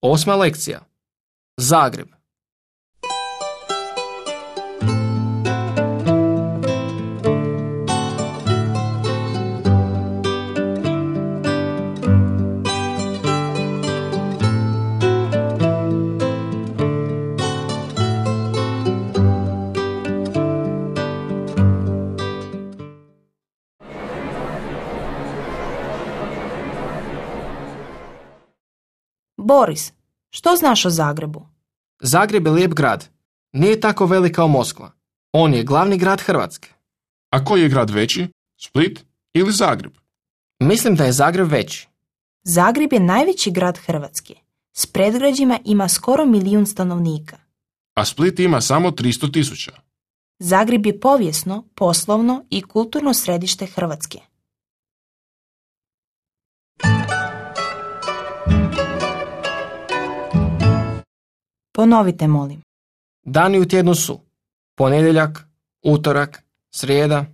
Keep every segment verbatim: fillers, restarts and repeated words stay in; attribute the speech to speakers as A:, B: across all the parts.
A: Osma lekcija. Zagreb.
B: Boris, što znaš o Zagrebu?
A: Zagreb je lijep grad. Nije tako velik kao Moskva. On je glavni grad Hrvatske.
C: A koji je grad veći? Split ili Zagreb?
A: Mislim da je Zagreb veći.
B: Zagreb je najveći grad Hrvatske. S predgrađima ima skoro milijun stanovnika.
C: A Split ima samo tristo tisuća.
B: Zagreb je povijesno, poslovno i kulturno središte Hrvatske. Ponovite, molim.
A: Dani u tjednu su ponedjeljak, utorak, srijeda,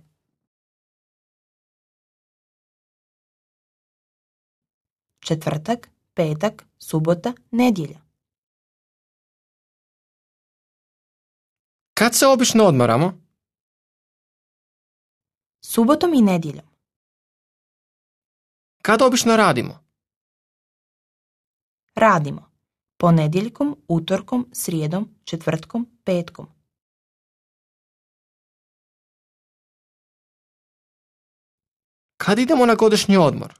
B: četvrtak, petak, subota, nedjelja.
A: Kad se obično odmaramo?
B: Subotom i nedjeljom.
A: Kad obično radimo?
B: Radimo. Ponedjeljkom, utorkom, srijedom, četvrtkom, petkom.
A: Kad idemo na godišnji odmor?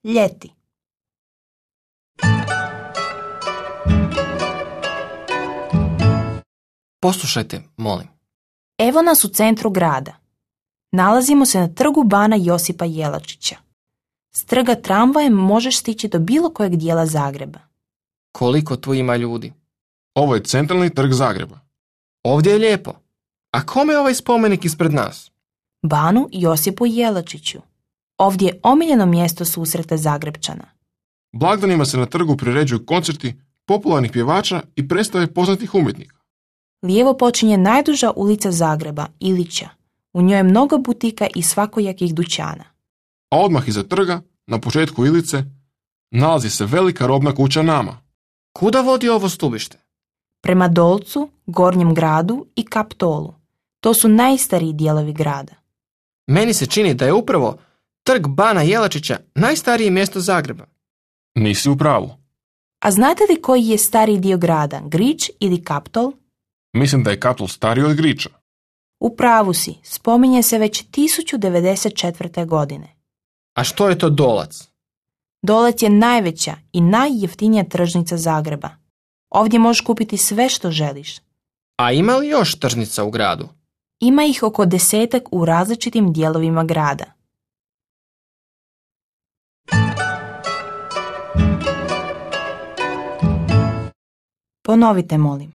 B: Ljeti.
A: Poslušajte, molim.
B: Evo nas u centru grada. Nalazimo se na trgu Bana Josipa Jelačića. S trga tramvajem možeš stići do bilo kojeg dijela Zagreba.
A: Koliko tu ima ljudi?
C: Ovo je centralni trg Zagreba.
A: Ovdje je lijepo. A kome je ovaj spomenik ispred nas?
B: Banu Josipu Jelačiću. Ovdje je omiljeno mjesto susreta Zagrebčana.
C: Blagdanima se na trgu priređuju koncerti popularnih pjevača i predstave poznatih umjetnika.
B: Lijevo počinje najduža ulica Zagreba, Ilića. U njoj je mnogo butika i svakojakih dućana.
C: A odmah iza trga, na početku Ilice, nalazi se velika robna kuća Nama.
A: Kuda vodi ovo stubište?
B: Prema Dolcu, Gornjem gradu i Kaptolu. To su najstariji dijelovi grada.
A: Meni se čini da je upravo trg Bana Jelačića najstarije mjesto Zagreba.
C: Nisi u pravu.
B: A znate li koji je stariji dio grada, Grič ili Kaptol?
C: Mislim da je Kaptol stariji od Griča.
B: U pravu si, spominje se već tisuću devedeset četvrte. godine.
A: A što je to Dolac?
B: Dolac je najveća i najjeftinija tržnica Zagreba. Ovdje možeš kupiti sve što želiš.
A: A ima li još tržnica u gradu?
B: Ima ih oko desetak u različitim dijelovima grada. Ponovite, molim.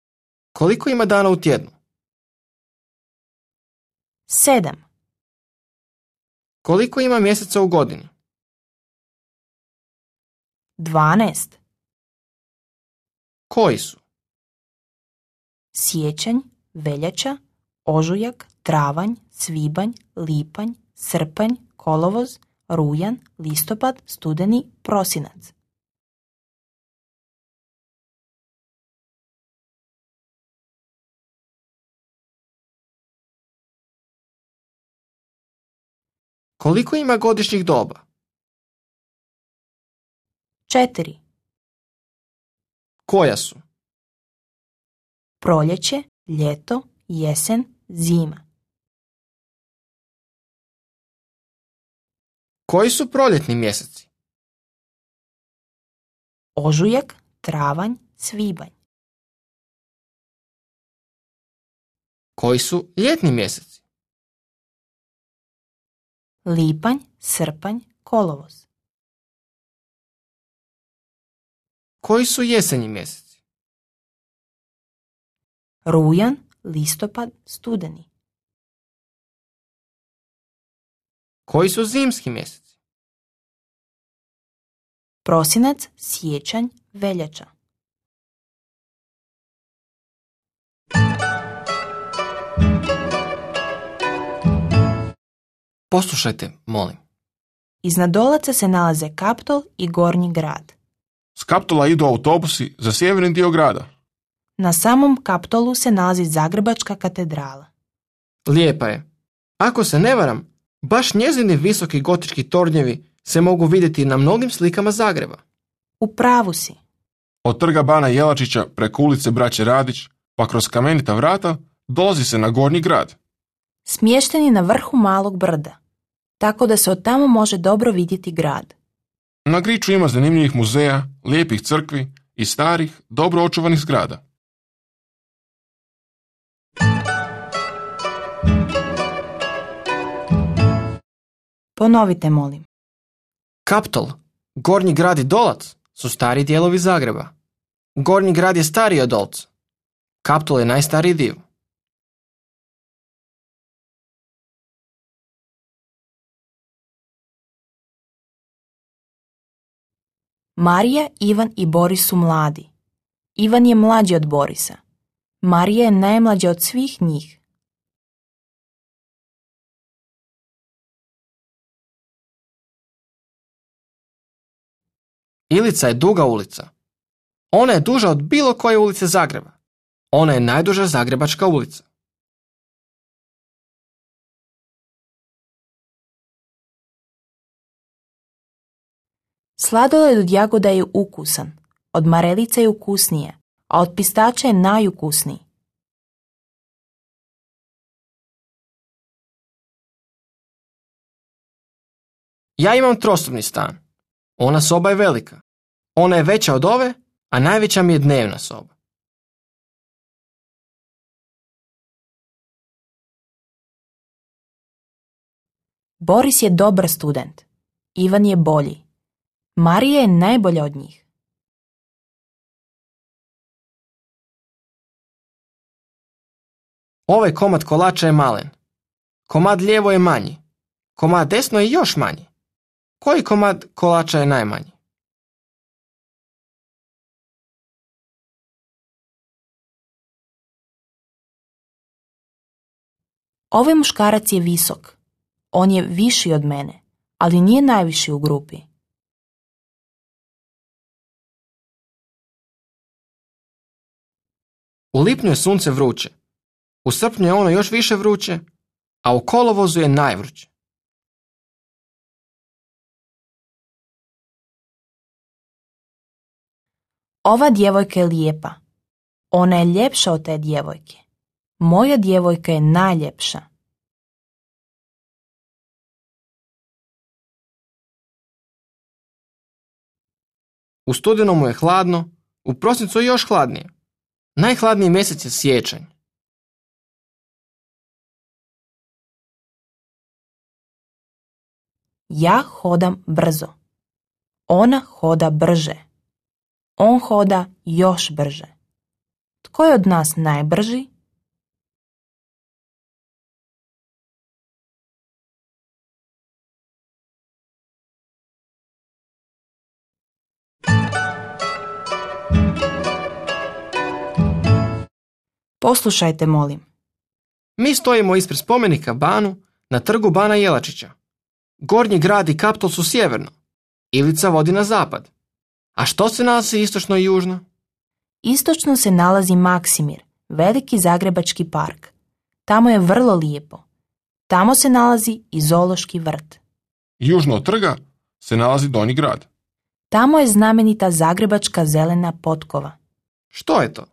A: Koliko ima dana u tjednu?
B: Sedam.
A: Koliko ima mjeseca u godini?
B: Dvanaest.
A: Koji su?
B: Siječanj, veljača, ožujak, travanj, svibanj, lipanj, srpanj, kolovoz, rujan, listopad, studeni, prosinac.
A: Koliko ima godišnjih doba?
B: Četiri.
A: Koja su?
B: Proljeće, ljeto, jesen, zima.
A: Koji su proljetni mjeseci?
B: Ožujak, travanj, svibanj.
A: Koji su ljetni mjeseci?
B: Lipanj, srpanj, kolovoz.
A: Koji su jesenji mjeseci?
B: Rujan, listopad, studeni.
A: Koji su zimski mjeseci?
B: Prosinac, siječanj, veljača.
A: Poslušajte, molim.
B: Iznad Dolaca se nalaze Kaptol i Gornji grad.
C: S Kaptola idu autobusi za sjeverni dio grada.
B: Na samom Kaptolu se nalazi Zagrebačka katedrala.
A: Lijepa je. Ako se ne varam, baš njezini visoki gotički tornjevi se mogu vidjeti na mnogim slikama Zagreba.
B: U pravu si.
C: Od trga bana Jelačića preko ulice Braće Radić pa kroz kamenita vrata dolazi se na Gornji grad.
B: Smješten je na vrhu malog brda, tako da se od tamo može dobro vidjeti grad.
C: Na Griču ima zanimljivih muzeja, lijepih crkvi i starih, dobro očuvanih zgrada.
B: Ponovite, molim.
A: Kaptol, Gornji grad i Dolac su stari dijelovi Zagreba. Gornji grad je stariji od Dolca. Kaptol je najstariji dio.
B: Marija, Ivan i Boris su mladi. Ivan je mlađi od Borisa. Marija je najmlađa od svih njih.
A: Ilica je duga ulica. Ona je duža od bilo koje ulice Zagreba. Ona je najduža zagrebačka ulica.
B: Sladoled od jagoda je ukusan, od marelice je ukusnije, a od pistača je najukusniji.
A: Ja imam trosobni stan. Ona soba je velika. Ona je veća od ove, a najveća mi je dnevna soba.
B: Boris je dobar student. Ivan je bolji. Marija je najbolja od njih.
A: Ovaj komad kolača je malen. Komad lijevo je manji. Komad desno je još manji. Koji komad kolača je najmanji?
B: Ovaj muškarac je visok. On je viši od mene, ali nije najviši u grupi.
A: U lipnju je sunce vruće. U srpnju je ono još više vruće, a u kolovozu je najvruće.
B: Ova djevojka je lijepa. Ona je ljepša od te djevojke. Moja djevojka je najljepša.
A: U studenomu je hladno, u prosincu je još hladnije. Najhladniji mjesec je siječanj.
B: Ja hodam brzo. Ona hoda brže. On hoda još brže. Tko je od nas najbrži? Poslušajte, molim.
A: Mi stojimo ispred spomenika Banu na trgu bana Jelačića. Gornji grad i Kaptol su sjeverno. Ilica vodi na zapad. A što se nalazi istočno i južno?
B: Istočno se nalazi Maksimir, veliki zagrebački park. Tamo je vrlo lijepo. Tamo se nalazi i zoološki vrt.
C: Južno od trga se nalazi Donji grad.
B: Tamo je znamenita zagrebačka zelena potkova.
A: Što je to?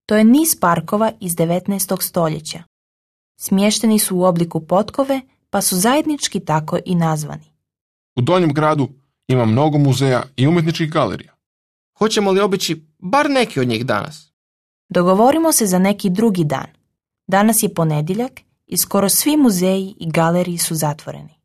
B: To je niz parkova iz devetnaestog stoljeća. Smješteni su u obliku potkove, pa su zajednički tako i nazvani.
C: U Donjem gradu ima mnogo muzeja i umjetničkih galerija.
A: Hoćemo li obići bar neki od njih danas?
B: Dogovorimo se za neki drugi dan. Danas je ponedjeljak i skoro svi muzeji i galeriji su zatvoreni.